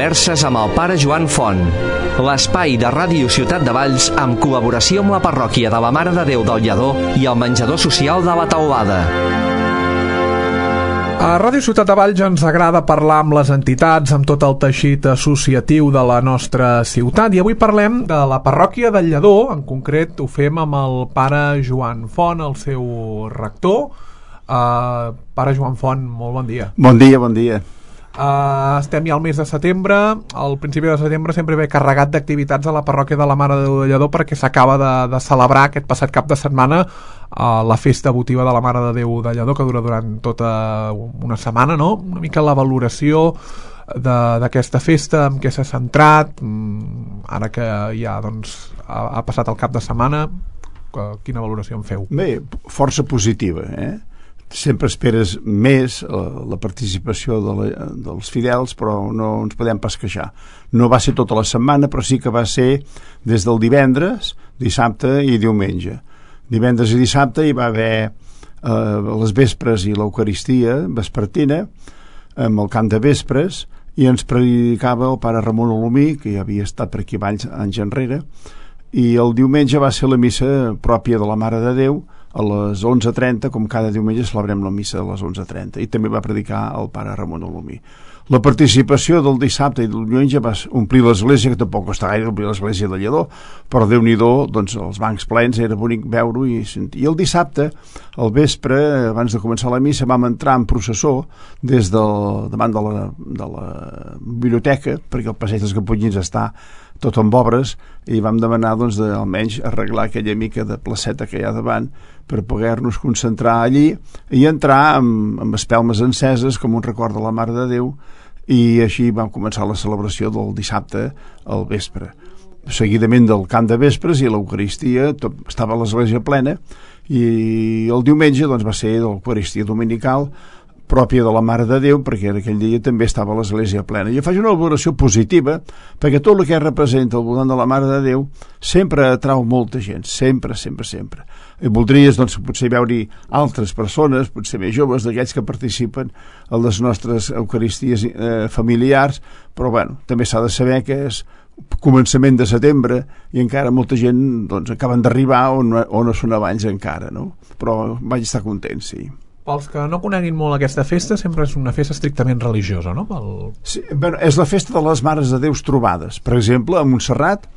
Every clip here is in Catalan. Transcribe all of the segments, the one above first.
Converses amb el pare Joan Font, l'espai de Ràdio Ciutat de Valls amb col·laboració amb la parròquia de la Mare de Déu del Lledó i el menjador social de la Teulada. A Ràdio Ciutat de Valls ens agrada parlar amb les entitats, amb tot el teixit associatiu de la nostra ciutat, i avui parlem de la parròquia del Lledó. En concret ho fem amb el pare Joan Font, el seu rector. Pare Joan Font, molt bon dia. Bon dia, bon dia. Estem ja al mes de setembre. Al principi de setembre sempre ve carregat d'activitats a la parròquia de la Mare de Déu del Lledó, perquè s'acaba de celebrar aquest passat cap de setmana la festa votiva de la Mare de Déu del Lledó, que dura durant tota una setmana, no? Una mica la valoració d'aquesta festa, en què s'ha centrat, ara que ja doncs, ha passat el cap de setmana. Quina valoració en feu? Bé, força positiva, Sempre esperes més la participació dels fidels, però no ens podem pas queixar. No va ser tota la setmana, però sí que va ser des del divendres, dissabte i diumenge. Divendres i dissabte hi va haver les vespres i l'Eucaristia vespertina, amb el cant de vespres, i ens predicava el pare Ramon Olomí, que ja havia estat per aquí anys enrere, i el diumenge va ser la missa pròpia de la Mare de Déu, a les 11:30, com cada diumenge celebrem la missa a les 11:30, i també va predicar el pare Ramon Olomí. La participació del dissabte i del diumenge va omplir l'església, que tampoc costa gaire omplir l'església de Lledó, però Déu-n'hi-do, doncs els bancs plens, era bonic veure-ho i sentir. I el dissabte, al vespre, abans de començar la missa, vam entrar en processó davant de la biblioteca, perquè el passeig dels Caputxins està tot amb obres, i vam demanar doncs, almenys arreglar aquella mica de placeta que hi ha davant per poder-nos concentrar allí i entrar amb espelmes enceses com un record de la Mare de Déu, i així vam començar la celebració del dissabte al vespre. Seguidament del cant de vespres i l'Eucaristia, estava l'església plena, i el diumenge doncs, va ser l'Eucaristia dominical pròpia de la Mare de Déu, perquè aquell dia també estava l'església plena. Jo faig una valoració positiva, perquè tot el que representa al voltant de la Mare de Déu sempre atrau molta gent, sempre. I voldries, doncs, potser veure-hi altres persones, potser més joves, d'aquells que participen a les nostres eucaristies familiars, però, bueno, també s'ha de saber que és començament de setembre i encara molta gent, doncs, acaben d'arribar o no són abans encara, no? Però vaig estar content, sí. Pels que no coneguin molt aquesta festa, sempre és una festa estrictament religiosa, no? Sí, bueno, és la festa de les Mares de Déus trobades. Per exemple, a Montserrat,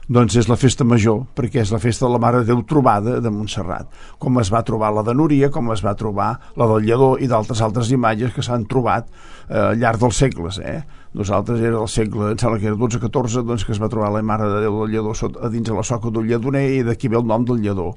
doncs és la festa major, perquè és la festa de la Mare de Déu trobada de Montserrat, com es va trobar la de Núria, com es va trobar la del Lledó i d'altres imatges que s'han trobat al llarg dels segles, Nosaltres era el segle, em sembla que era 12-14, doncs que es va trobar la Mare de Déu del Lledó a dins de la soca d'un lledoner, i d'aquí ve el nom del Lledó.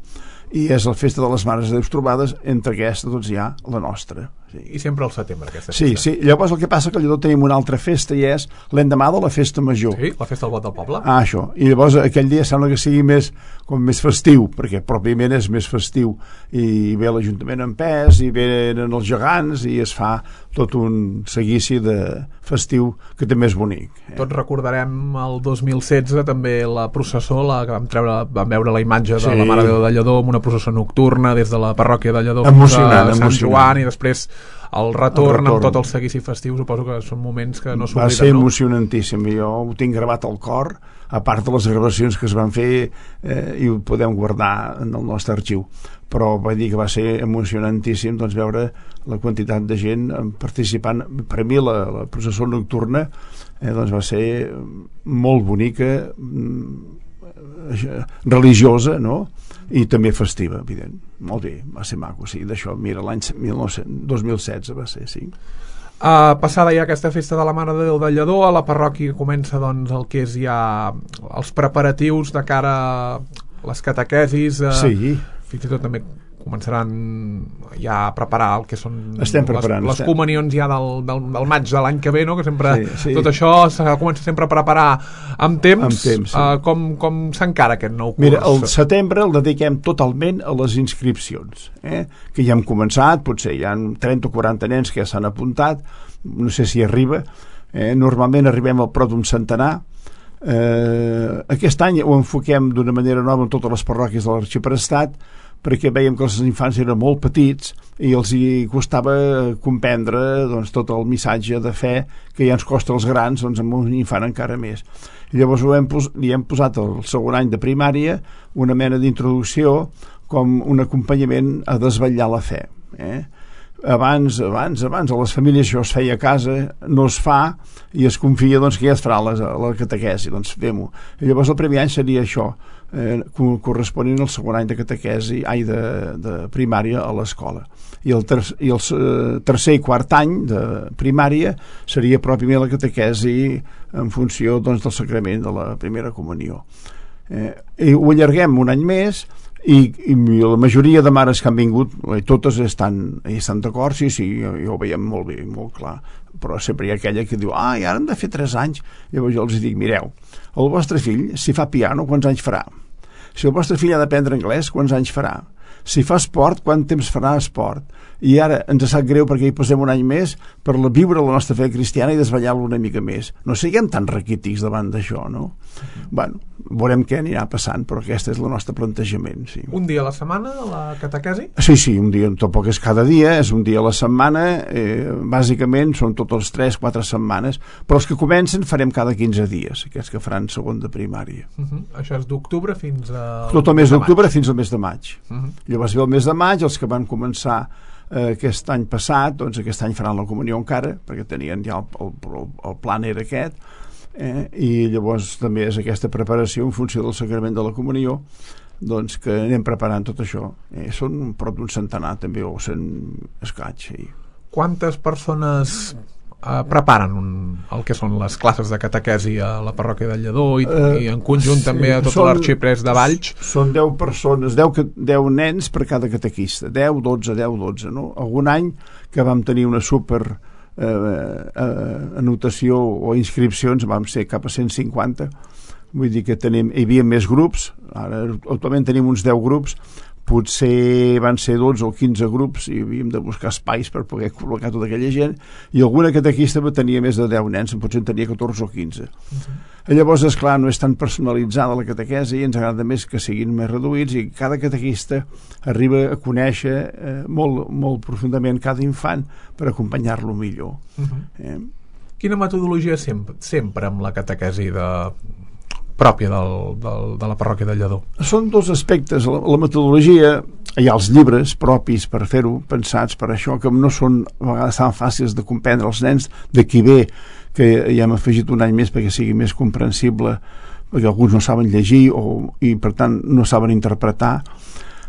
I és la festa de les Mares de Déu trobades, entre aquesta doncs hi ha la nostra. Sí. I sempre al setembre, aquesta festa. Sí. Llavors el que passa que al Lledó tenim una altra festa, i és l'endemà de la festa major. Sí, la festa del Bot del Poble. Això. I llavors aquell dia sembla que sigui més festiu, perquè pròpiament és més festiu, i ve l'Ajuntament en pes, i venen els gegants, i es fa tot un seguici de festiu que també és bonic. Tots recordarem el 2016 també la processó, que vam veure la imatge de la Mare de Déu del Lledó amb una processó nocturna des de la parròquia de Lledó fins a Sant Joan, i després el retorn amb tot el seguici festiu. Suposo que són moments que no s'obliden, no? Va ser emocionantíssim, jo ho tinc gravat al cor, a part de les gravacions que es van fer, i ho podem guardar en el nostre arxiu, però vaig dir que va ser emocionantíssim doncs, veure la quantitat de gent participant. Per mi la processó nocturna doncs va ser molt bonica, religiosa, no? I també festiva, evident. Molt bé, va ser maco, sí. D'això, mira, l'any 2016 va ser, sí. Passada ja aquesta festa de la Mare de Déu del Lledó, a la parròquia comença doncs, el que és ja els preparatius de cara a les catequesis. Sí. Fins i tot també començaran ja a preparar el que són les comunions ja del maig de l'any que ve, no? Que sempre tot això s'ha començat sempre a preparar amb temps. Sí. Com s'encara aquest nou curs? Mira, el setembre el dediquem totalment a les inscripcions, que ja hem començat, potser hi ha 30 o 40 nens que ja s'han apuntat, no sé si arriba, normalment arribem al prop d'un centenar. Aquest any ho enfoquem d'una manera nova en totes les parròquies de l'Arxiprestat, perquè veiem que els infants eren molt petits i els hi costava comprendre doncs, tot el missatge de fe que ja ens costa als grans, doncs amb un infant encara més. I llavors li hem posat al segon any de primària una mena d'introducció com un acompanyament a desvetllar la fe. Abans a les famílies això es feia a casa, no es fa i es confia doncs, que ja es farà la catequesi, doncs fem-ho. I llavors el primer any seria això, corresponent al segon any de catequesi, de primària a l'escola. I el tercer i quart any de primària seria pròpiament la catequesi en funció doncs, del sacrament de la primera comunió. I ho allarguem un any més i la majoria de mares que han vingut totes estan d'acord, sí, ho veiem molt bé, molt clar, però sempre hi ha aquella que diu i ara hem de fer 3 anys. Llavors jo els dic, mireu, el vostre fill si fa piano quants anys farà? Si el vostre fill ha d'aprendre anglès quants anys farà? Si fa esport, quant temps farà esport? I ara ens sap greu perquè hi posem un any més per viure la nostra fe cristiana i desvetllar-lo una mica més. No siguem tan raquítics davant d'això, no? Bueno, veurem què anirà passant, però aquest és el nostre plantejament, sí. Un dia a la setmana, la catequesi? Sí, un dia, tampoc és cada dia, és un dia a la setmana, bàsicament són totes 3-4 setmanes, però els que comencen farem cada 15 dies, aquests que faran segon de primària. Això és d'octubre fins a... Tot el mes d'octubre fins al mes de maig. Llavors ve el mes de maig, els que van començar aquest any passat, doncs aquest any faran la comunió encara, perquè tenien ja el plan era aquest, i llavors també és aquesta preparació en funció del sacrament de la comunió, doncs que anem preparant tot això. Són prop d'un centenar també, o 100 escaig. Quantes persones preparen el que són les classes de catequesi a la parròquia del Lledó i en conjunt també a tot l'arxipres de Valls? Són 10 persones, 10 nens per cada catequista, 10, 12, no? Algun any que vam tenir una super anotació o inscripcions, vam ser cap a 150, vull dir que hi havia més grups, ara actualment tenim uns 10 grups, potser van ser 12 o 15 grups i havíem de buscar espais per poder col·locar tota aquella gent, i alguna catequista tenia més de 10 nens, potser en tenia 14 o 15. Llavors, esclar, no és tan personalitzada la catequesi i ens agrada més que siguin més reduïts i cada catequista arriba a conèixer molt profundament cada infant per acompanyar-lo millor. Quina metodologia sempre amb la catequesi pròpia de la parròquia del Lledó? Són 2 aspectes. La metodologia, hi ha els llibres propis per fer-ho, pensats per això, que no són a vegades tan fàcils de comprendre els nens, d'aquí ve que ja hem afegit un any més perquè sigui més comprensible, perquè alguns no saben llegir i per tant no saben interpretar.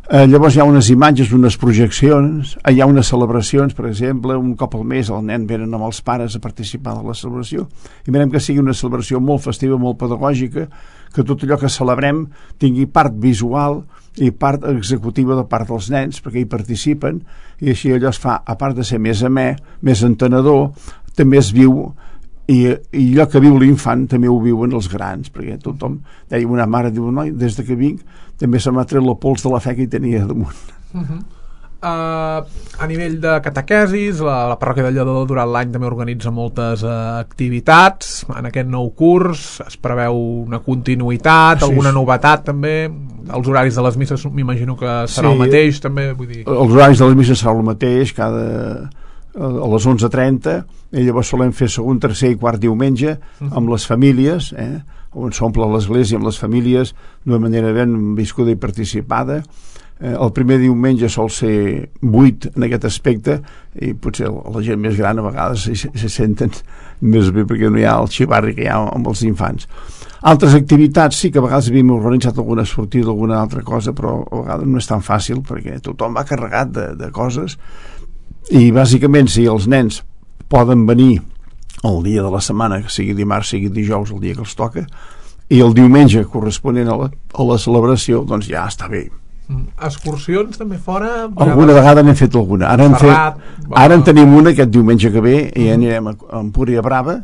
Llavors hi ha unes imatges, unes projeccions, hi ha unes celebracions, per exemple, un cop al mes el nen venen amb els pares a participar de la celebració i mirem que sigui una celebració molt festiva, molt pedagògica, que tot allò que celebrem tingui part visual i part executiva de part dels nens, perquè hi participen, i així allò es fa, a part de ser més amè, més entenedor, també es viu, i allò que viu l'infant també ho viuen els grans, perquè tothom, deia una mare, diu, noi, des que vinc també se m'ha tret la pols de la fe que hi tenia damunt. A nivell de catequesis, la parròquia del Lledó durant l'any també organitza moltes activitats. En aquest nou curs es preveu una continuïtat, alguna novetat també. Els horaris de les misses m'imagino que serà el mateix també, vull dir... Els horaris de les misses serà el mateix, a les 11:30, i llavors solem fer segon, tercer i quart diumenge amb les famílies, on s'omple l'església amb les famílies d'una manera ben viscuda i participada. El primer diumenge sol ser 8 en aquest aspecte, i potser la gent més gran a vegades se senten més bé perquè no hi ha el xivarri que hi ha amb els infants. Altres activitats sí que a vegades havíem organitzat alguna sortida, alguna altra cosa, però a vegades no és tan fàcil perquè tothom va carregat de coses, i bàsicament si els nens poden venir el dia de la setmana, que sigui dimarts, sigui dijous, el dia que els toca, i el diumenge corresponent a la celebració, doncs ja està bé. Excursions també fora? Alguna vegada n'hem fet alguna. Ara en tenim una aquest diumenge que ve i anirem a Empúria Brava,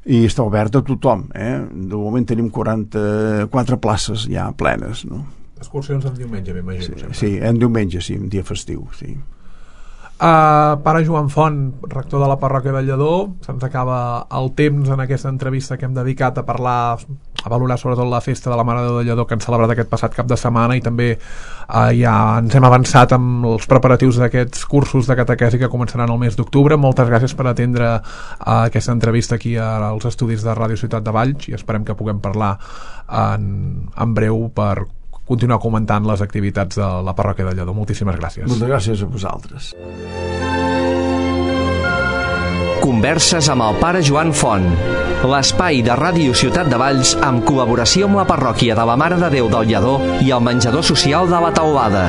i està oberta a tothom. De moment tenim 44 places ja plenes, no? Excursions en diumenge, m'imagino. Sí, en diumenge, sí, un dia festiu, sí. Pare Joan Font, rector de la parròquia del Lledó, se'ns acaba el temps en aquesta entrevista que hem dedicat a parlar valorar sobretot la festa de la Mare de Déu de Lledó que han celebrat aquest passat cap de setmana, i també ja ens hem avançat amb els preparatius d'aquests cursos de catequesi que començaran el mes d'octubre. Moltes gràcies per atendre aquesta entrevista aquí als estudis de Ràdio Ciutat de Valls, i esperem que puguem parlar en breu per continuar comentant les activitats de la parròquia de Lledó. Moltíssimes gràcies. Moltes gràcies a vosaltres. Converses amb el pare Joan Font, l'espai de Ràdio Ciutat de Valls amb col·laboració amb la parròquia de la Mare de Déu del Lledó i el menjador social de la Teulada.